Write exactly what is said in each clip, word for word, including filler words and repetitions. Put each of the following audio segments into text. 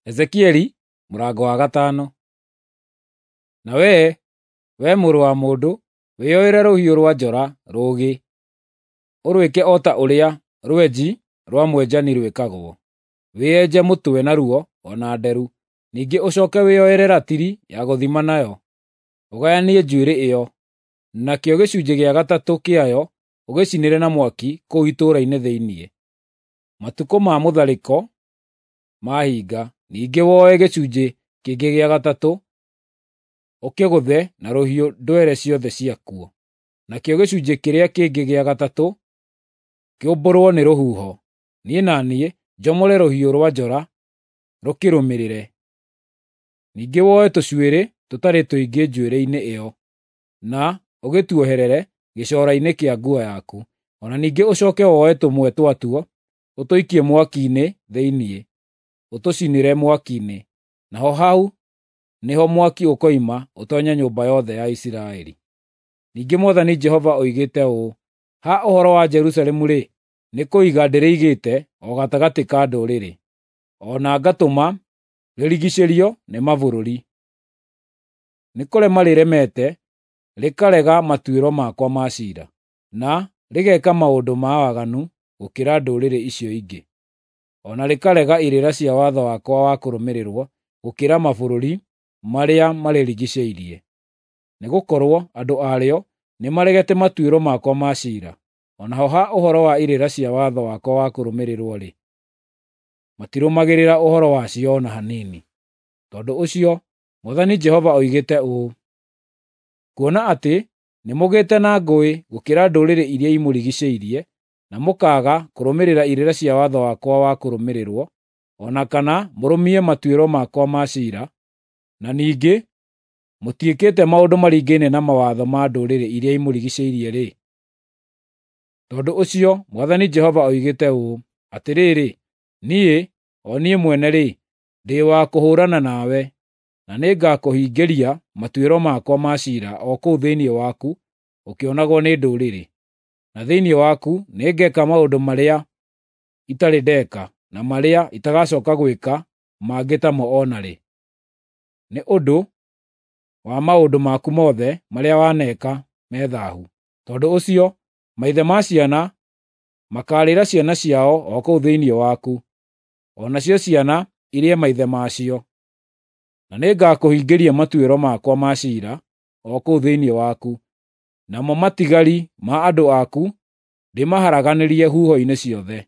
Ezekieli mũrango wa gatano. Na wee, wee mũrũ wa mũndũ, wĩoere rũhiũ rwa njora rũũgĩ, ũrwĩke o ta ũrĩa rwenji rwa mwenjani rwĩkagwo. Wĩenje mũtwe naruo o na nderu. Ningĩ ũcooke wĩoere ratiri ya gũthima nayo, ũgayanie njuĩrĩ ĩyo, nakĩo gĩcunjĩ gĩa gatatũ kĩayo ũgĩcinĩre na mwaki kũu itũũra-inĩ thĩinĩ. Matukũ ma mũtharĩko mahinga, ningĩ woe gĩcunjĩ kĩngĩ gĩa gatatũ, ũkĩgũthe na rũhiũ ndwere ciothe ciakuo. Nakĩo gĩcunjĩ kĩrĩa kĩngĩ gĩa gatatũ kĩũmbũrwo nĩ rũhuho. Niĩ na niĩ njomore rũhiũ rwa njora rũkĩrũmĩrĩre. Ningĩ woe tũcuĩrĩ tũtarĩ tũingĩ njuĩrĩ-inĩ ĩyo, na ũgĩtuoherere gĩcoora-inĩ kĩa nguo yaku. O na ningĩ ũcooke woe tũmwe twatuo ũtũikie mwaki-inĩ thĩinĩ, ũtũcinĩre mwaki-inĩ. Naho hau nĩho mwaki ũkoima ũtoonye nyũmba yothe ya Isiraeli. Ningĩ Mwathani Jehova oigĩte ũũ: Ha ũhoro wa Jerusalemu-rĩ, nĩ kũiga ndĩrĩigĩte o gatagatĩ ka ndũrĩrĩ, o na ngatũma rĩrigiicĩrio nĩ mabũrũri. Nĩ kũrema rĩremete, rĩkarega matuĩro makwa ma ciira, na rĩgeeka maũndũ ma waganu gũkĩra ndũrĩrĩ icio ingĩ, o na rĩkarega irĩra cia watho wakwa wa kũrũmĩrĩrwo gũkĩra mabũrũri marĩa marĩrigiicĩirie. Nĩgũkorwo andũ arĩo nĩmaregete matuĩro makwa ma ciira, o naho ha ũhoro wa irĩra cia watho wakwa wa kũrũmĩrĩrwo-rĩ, matirũmagĩrĩra ũhoro wacio o na hanini. Tondũ ũcio Mwathani Jehova oigĩte ũũ: Kuona atĩ nĩmũgĩte na ngũĩ gũkĩra ndũrĩrĩ iria imũrigiicĩirie, na mũkaaga kũrũmĩrĩra irĩra cia watho wakwa wa kũrũmĩrĩrwo, o na kana mũrũmie matuĩro makwa ma ciira, na ningĩ mũtiĩkĩte maũndũ maringaine na mawatho ma ndũrĩrĩ iria imũrigiicĩirie-rĩ, tondũ ũcio Mwathani Jehova oigĩte ũũ: Atĩrĩrĩ, niĩ, o niĩ mwene-rĩ, ndĩ wa kũhũũrana nawe, na nĩngakũhingĩria matuĩro makwa ma ciira o kũu thĩinĩ waku ũkĩonagwo nĩ ndũrĩrĩ. Na thĩinĩ waku nĩngeeka maũndũ marĩa itarĩ ndeeka na marĩa itagacooka gwĩka mangĩ tamo o na rĩ, nĩ ũndũ wa maũndũ maku mothe marĩa waneka me thaahu. Tondũ ũcio maithe ma ciana makaarĩra ciana ciao o kũu thĩinĩ waku, o nacio ciana irĩe maithe macio. Na nĩngakũhingĩria matuĩro makwa ma ciira o kũu thĩinĩ waku, namo matigari ma andũ aku ndĩmaharaganĩrie huho-inĩ ciothe.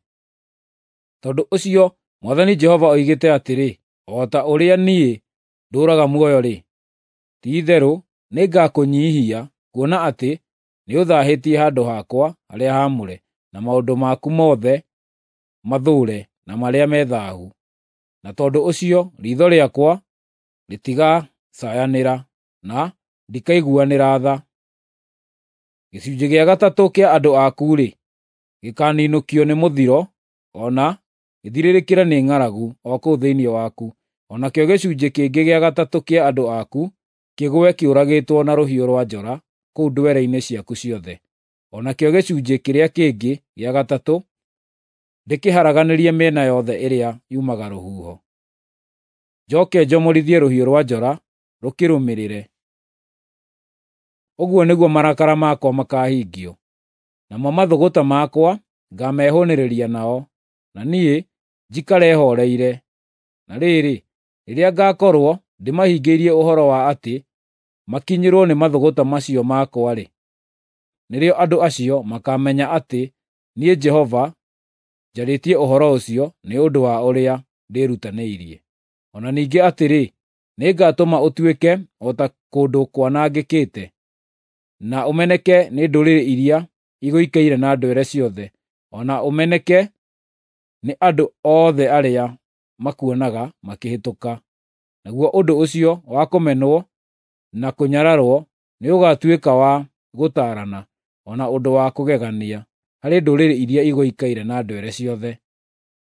Tondũ ũcio Mwathani Jehova oigĩte atĩrĩ, o ta ũrĩa niĩ ndũũraga muoyo-rĩ, ti-itherũ nĩngakũnyiihia kuona atĩ nĩũthaahĩtie handũ hakwa harĩa haamũre na maũndũ maku mothe mathũũre na marĩa me thaahu. Na tondũ ũcio riitho rĩakwa rĩtigacayanĩra, na ndikaiguanĩra tha. Gĩcunjĩ gĩa gatatũ kĩa andũ aku-rĩ, gĩkaaninũkio nĩ mũthiro o na gĩthirĩrĩkĩre nĩ ng'aragu o kũu thĩinĩ waku, o nakĩo gĩcunjĩ kĩngĩ gĩa gatatũ kĩa andũ aku kĩgũe kĩũragĩtwo na rũhiũ rwa njora kũu ndwere-inĩ ciaku ciothe, o nakĩo gĩcunjĩ kĩrĩa kĩngĩ gĩa gatatũ ndĩkĩharaganĩrie mĩena yothe ĩrĩa yumaga rũhuho. Njooke njomorithie rũhiũ rwa njora rũkĩrũmĩrĩre. Ũguo nĩguo marakara makwa makaahingio, namo mathũgũta makwa ngaamehũũnĩrĩria nao, na niĩ njikare hooreire. Na rĩrĩ, rĩrĩa ngaakorwo ndĩmahingĩirie ũhoro wa atĩ makinyĩrwo nĩ mathũgũta macio makwa-rĩ, nĩrĩo andũ acio makaamenya atĩ niĩ Jehova njarĩtie ũhoro ũcio nĩ ũndũ wa ũrĩa ndĩĩrutanĩirie. O na ningĩ atĩrĩ, nĩngatũma ũtuĩke o ta kũndũ kwanangĩkĩte, na ũmeneke nĩ ndũrĩrĩ iria igũikaire na ndwere ciothe, o na ũmeneke nĩ andũ othe arĩa makuonaga makĩhĩtũka. Naguo ũndũ ũcio wa kũmenwo na kũnyararwo nĩũgatuĩka wa gũtaarana, o na ũndũ wa kũgegania harĩ ndũrĩrĩ iria igũikaire na ndwere ciothe,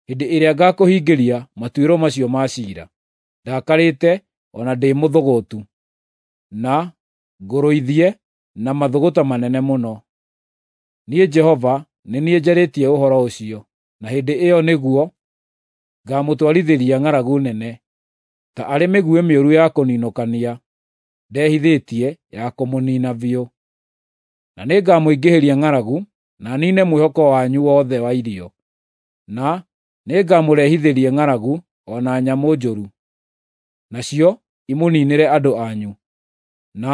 hĩndĩ ĩrĩa ngaakũhingĩria matuĩro macio ma ciira, ndakarĩte o na ndĩ mũthũgũtu, na ngũrũithie na mathũgũta manene mũno. Niĩ Jehova nĩ niĩ njarĩtie ũhoro ũcio, na hĩndĩ ĩyo nĩguo ngaamũtwarithĩria ng'aragu nene. ta arĩ mĩguĩ mĩũru ya kũninũkania ndehithĩtie ya kũmũniina biũ. Na nĩngamũingĩhĩria ng'aragu, na niine mwĩhoko wanyu wothe wa irio, na nĩngamũrehithĩria ng'aragu o na nyamũ njũru, nacio imũniinĩre andũ anyu, na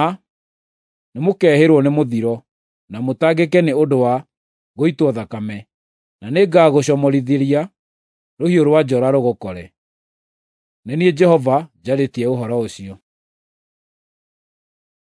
nĩmũkehĩrwo nĩ mũthiro, na mũtangĩke nĩ ũndũ wa gũitwo thakame, na nĩngagũcomorithĩria rũhiũ rwa njora rũgũkore. Nĩ niĩ Jehova njarĩtie ũhoro ũcio.